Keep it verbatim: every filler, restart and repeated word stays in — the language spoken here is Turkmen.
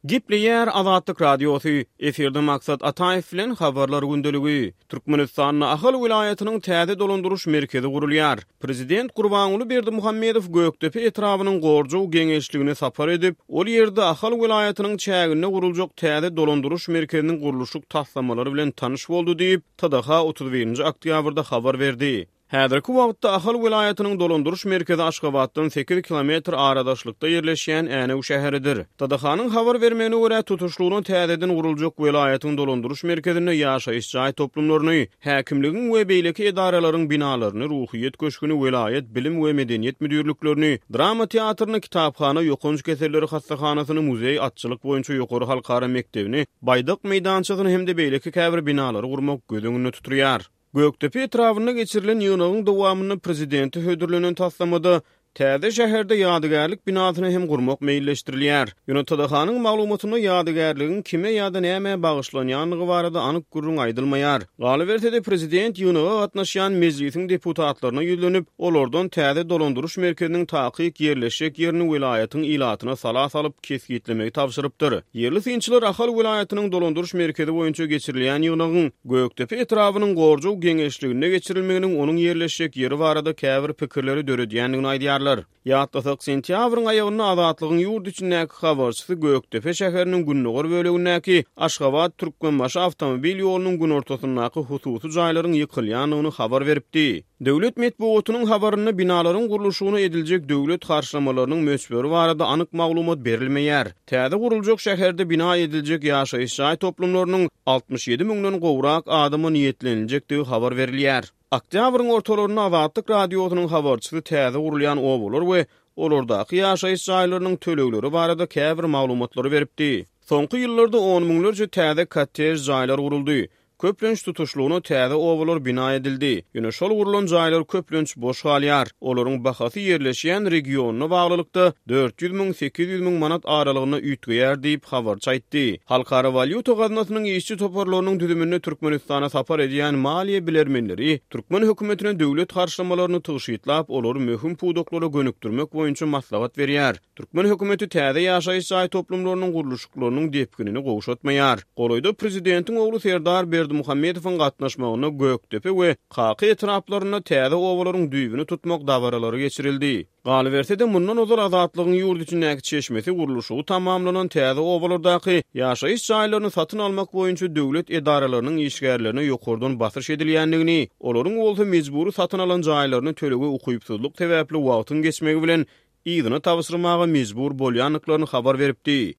Gepleýär Azatlyk Radiosy, efirde Maksat Ataýew bilen Habarlar gündeligi. Türkmenistanda Ahal welaýatynyň täze dolandyryş merkezi gurulýar. Prezident Gurbanguly Berdimuhamedow Gökdepe etrabynyň Gorjow geňeşligine sapar edip, ol ýerde Ahal welaýatynyň çäginde guruljak täze dolandyryş merkeziniň gurluşyk taslamalary bilen tanyş boldy diýip, T D H otuz birinji oktýabrda habar berdi. Häzirki wagtda Ahal welaýatynyň dolandyryş merkezi Aşgabatdan sekiz kilometr aradaşlykda ýerleşýän Änew şäheridir. T D H-nyň habar bermegine görä, tutuşlygyna täzeden guruljak welaýatyň dolandyryş merkezinde ýaşaýyş jaý toplumlaryny, häkimligiň we beýleki edaralaryň binalaryny, Ruhyýet köşgüni, welaýat bilim we medeniýet müdirliklerini, drama teatryny, kitaphana, ýokanç keselleri hassahanasyny, muzeý, atçylyk boýunça ýokary halkara mekdebini, baýdak meýdançasyny hem-de beýleki käbir binalary gurmak göz öňünde tutulýar. Gökdepe etrabynda geçirilen ýygnagyň dowamynda prezidente hödürlenen taslamada täze şäherde ýadygärlik binasyny hem gurmak meýilleşdirilýär. Ýöne T D H-nyň maglumatynda ýadygärligiň kime ýa-da nämä bagyşlanýandygy barada anyk gürrüň aýdylmaýar. Galyberse-de, prezident ýygnaga gatnaşýan mejlisiň deputatlaryna ýüzlenip, olardan täze dolandyryş merkeziniň takyk ýerleşjek ýerini welaýatyň ilatyna sala salyp kesgitlemegi tabşyrypdyr. Ýerli synçylar Ahal welaýatynyň dolandyryş merkezi boýunça geçirilýän ýygnagyň Gökdepe etrabynyň Gorjow geňeşliginde geçirilmeginiň onuň ýerleşjek ýeri barada käbir pikirleri döredýändigini aýdýarlar. Ýatlasak, sentýabryň aýagynda Azatlygyň ýurt içindäki habarçysy Gökdepe şäheriniň gündogar bölegindäki Aşgabat Türkmenbaşy awtomobil ýolunyň günortasyndaky hususy jaýlaryň ýykylýandygyny habar beripdi. Döwlet metbugatynyň habarynda binalaryň gurluşygyna ediljek döwlet harçlamalarynyň möçberi barada anyk maglumat berilmeýär. Täze guruljak şäherde bina ediljek ýaşaýyş jaý toplumlarynyň altmyş ýedi müňden gowrak adama niýetleniljekdigi habar berilýär. Oktýabryň ortalarynda Azatlyk Radiosynyň habarçysy täze gurulýan obalar we olardaky ýaşaýyş jaýlarynyň tölegleri barada käbir maglumatlary beripdi. Soňky ýyllarda on müňlerçe täze kottej jaýlar guruldy. Köplenç tutuşlygyna täze obalar bina edildi. Ýöne şol gurulan jaýlar köplenç boş galýar. Olaryň bahasy ýerleşýän regionyna baglylykda dört ýüz müň, sekiz ýüz müň manat aralygynda üýtgeýär diýip habarçy aýtdy. Halkara walýuta gaznasynyň işçi toparlarynyň düzüminde Türkmenistana sapar edýän maliýe bilermenleri türkmen hökümetine döwlet harçlamalaryny tygşytlap, olary möhüm pudaklara gönükdirmek boýunça maslahat berýär. Türkmen hökümeti täze ýaşaýyş jaý toplumlarynyň gurluşyklarynyň depginini gowşatmaýar. Golaýda prezidentiň ogly Serdar Berdimuhamedowyň gatnaşmagynda Gökdepe we Kaka etraplarynda täze obalaryň düýbüni tutmak dabaralary geçirildi. Galyberse-de, mundan ozal Azatlygyň ýurt içindäki çeşmesi gurluşygy tamamlanan täze obalardaky ýaşaýyş jaýlaryny satyn almak boýunça döwlet edaralarynyň işgärlerine ýokardan basyş edilýändigini, olaryň bolsa mejbury satyn alan jaýlaryny tölege ukypsyzlyk sebäpli wagtyň geçmegi bilen yzyna tabşyrmaga mejbur bolýandyklaryny habar beripdi.